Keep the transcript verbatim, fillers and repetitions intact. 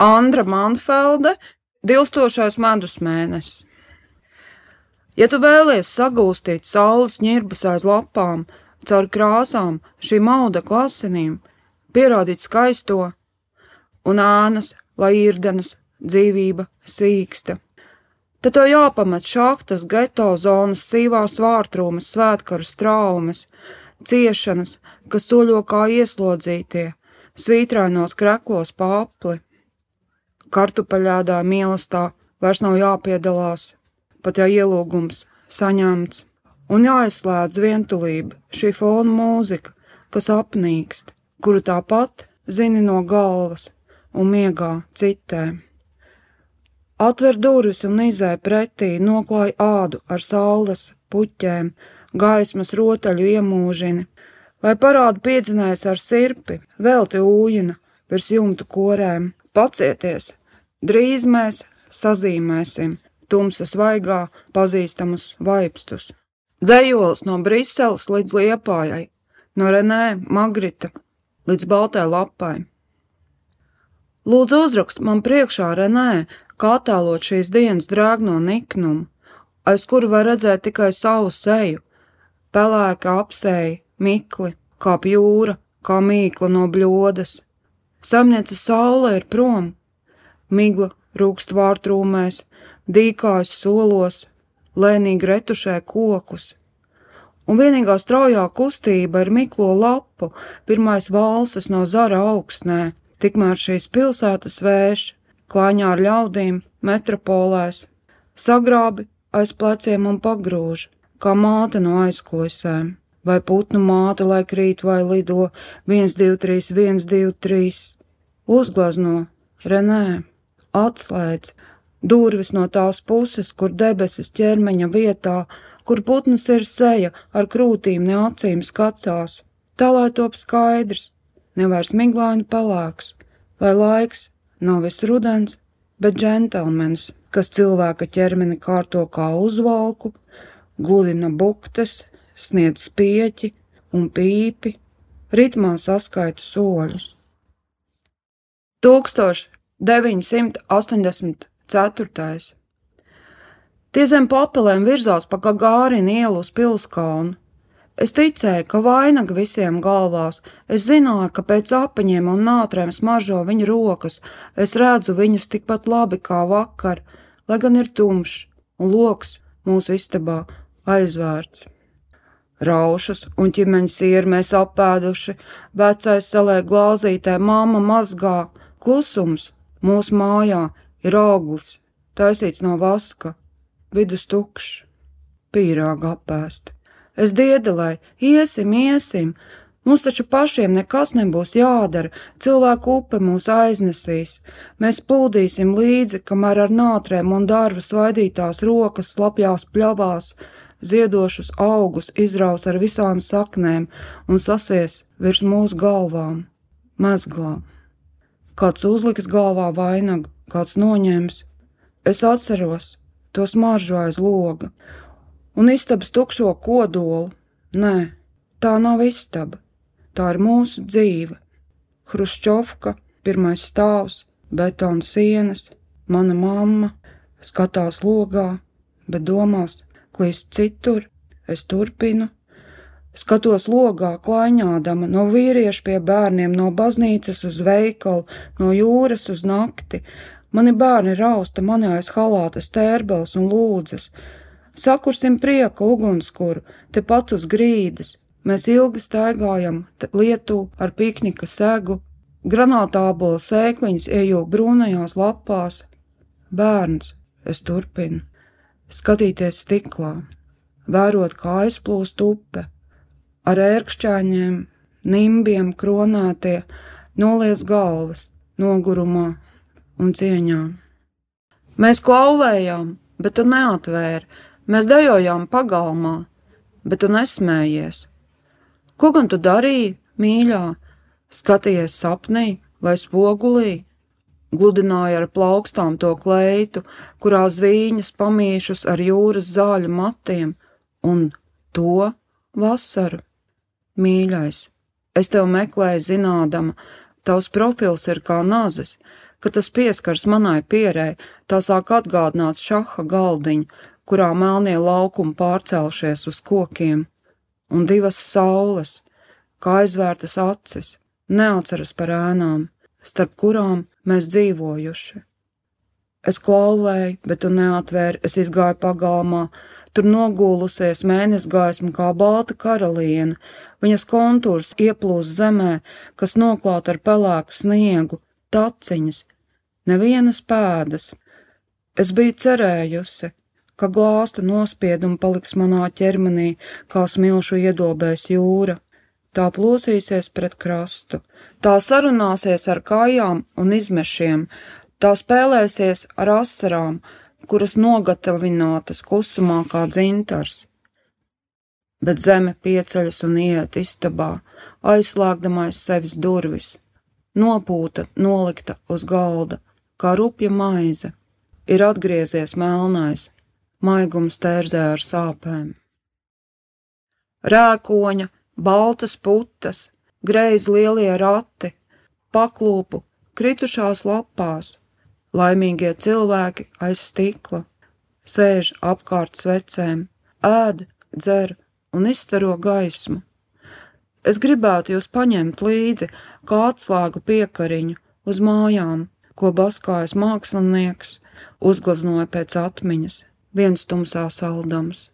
Andra Manfelde, Dilstošais medus mēnesis. Ja tu vēlies sagūstīt saules ņirbas aiz lapām, caur krāsām, šīm audekla asinīm, pierādīt skaisto un ēnas, lai irdenas, dzīvība sīksta, tad tev jāpamet šahtas, geto zonas, sīvās vārtrūmes, svētkaru straumes, ciešanas, kas soļo kā ieslodzītie, svītrainos kreklos pa apli. Kartupeļādā mīlestā vairs nav jāpiedalās, pat ja ielūgums saņemts, un jāizslēdz vientulība, šī fona mūzika, kas apnīkst, kuru tāpat zini no galvas un miegā citē. Atver durvis un izēj pretī, noklāj ādu ar saules puķēm, gaismas rotaļu iemūžini, lai parādu piedzinājis ar sirpi, velti ūjina virs jumtu korēm. Pacieties! Drīz mēs sazīmēsim tumsas vaigā pazīstamus vaipstus. Dzejolis no Briseles līdz Liepājai, no Renē Magrita līdz Baltai lapai. Lūdzu uzrakst man priekšā Renē, kā attēlot šīs dienas drēgno niknumu, aiz kuru var redzēt tikai savu seju, pelēka apseja, mikli, kā jūra, kā mīkla no bļodas. Saimniece saule ir prom, migla rūkst vārtrūmēs, dīkājas solos, lēnīgi retušē kokus. Un vienīgā straujā kustība ir miklo lapu, pirmais valses no zara augstnē, tikmēr šīs pilsētas vējš, klāņā ar ļaudīm, metropolēs, sagrābi aiz pleciem un pagrūž, kā māte no aizkulisēm, vai putnu māte, lai krīt vai lido, viens, divi, trīs, viens, divi, trīs. Uzglazno, Renē, atslēdz, durvis no tās puses, kur debesis ķermeņa vietā, kur putnas ir seja, ar krūtīm ne acīm skatās, tā lai top skaidrs, nevairs miglaini pelēks, lai laiks nav viss rudens, bet džentelmenis, kas cilvēka ķermeni kārto kā uzvalku, gludina buktes, sniedz spieķi un pīpi, ritmā saskaita soļus. tūkstoš deviņsimt astoņdesmit ceturtais. Tie zem papelēm virzās pa Gagārina ielu uz Pilskalnu. Es ticēju, ka vainaga visiem galvās, es zināju, ka pēc apaņiem un nātrēm smaržo viņa rokas, es redzu viņus tikpat labi kā vakar, lai gan ir tumšs un loks mūsu istabā aizvērts. Raušus un ķimeņa sieru mēs apēduši, vecais salēja glāzītē, mamma mazgā, klusums mūsu mājā ir auglis, taisīts no vaska, vidus tukšs, pīrāga apēst. Es diedelēju, iesim, iesim, mums taču pašiem nekas nebūs jādara, cilvēku upe mūs aiznesīs, mēs plūdīsim līdzi, kamēr ar nātrēm un darva svaidītās rokas slapjās pļavās, ziedošus augus izraus ar visām saknēm un sasies virs mūsu galvām, mezglā. Kāds uzliks galvā vainagu, kāds noņems. Es atceros to smaržu aiz loga un istabas tukšo kodolu. Nē, tā nav istaba, tā ir mūsu dzīve. Hruščovka, pirmais stāvs, betona sienas, mana mamma, skatās logā, bet domās klīst citur, es turpinu. Skatos logā klaiņādama no vīriešu pie bērniem, no baznīcas uz veikalu, no jūras uz nakti. Mani bērni rausta mani aiz halāta stērbels un lūdzas. Sakursim prieka ugunskuru, tepat uz grīdas. Mēs ilgi staigājam lietu ar piknika segu. Granātābola sēkliņas ejūk brūnajās lapās. Bērns, es turpinu. Skatīties stiklā, vērot, kā aizplūst upe. Ar ērkšķaņiem, nimbiem kronētie, noliec galvas, nogurumā un cieņā. Mēs klauvējām, bet tu neatvēri, mēs dejojām pagalmā, bet tu nesmējies. Ko gan tu darīji, mīļā? Skatījies sapnī vai spogulī? Gludināja ar plaukstām to kleitu, kurā zvīņas pamīšus ar jūras zāļu matiem, un to vasaru. Mīļais, es tev meklēju zinādama, tavs profils ir kā nazis, Kad tas pieskars manai pierei, tā sāk atgādināt šaha galdiņu, kurā melnie laukumi pārcelšies uz kokiem, un divas saules, kā aizvērtas acis, neatceras par ēnām, starp kurām mēs dzīvojuši. Es klauvēju, bet tu neatvēri, es izgāju pagalmā, tur nogūlusies mēnesgaisma kā balta karaliene, viņas kontūrs ieplūst zemē, kas noklāt ar pelēku sniegu, taciņas, nevienas pēdas. Es biju cerējusi, ka glāstu nospiedumi paliks manā ķermenī, kā smilšu iedobēs jūra. Tā plosīsies pret krastu, tā sarunāsies ar kājām un izmešiem, tā spēlēsies ar asarām, kuras nogatavinātas klusumā kā dzintars. Bet zeme pieceļas un iet istabā, aizslēgdamais sevis durvis, nopūta nolikta uz galda, kā rupja maize, ir atgriezies melnais, maigums tērzē ar sāpēm. Rēkoņa, baltas putas, greiz lielie rati, paklūpu, kritušās lapās, laimīgie cilvēki aiz stikla, sēž apkārt svecēm, ēd, dzer un izstaro gaismu. Es gribētu jūs paņemt līdzi, kā atslēgu piekariņu uz mājām, ko baskājas mākslinieks, uzgleznoja pēc atmiņas, viens tumsā saldams.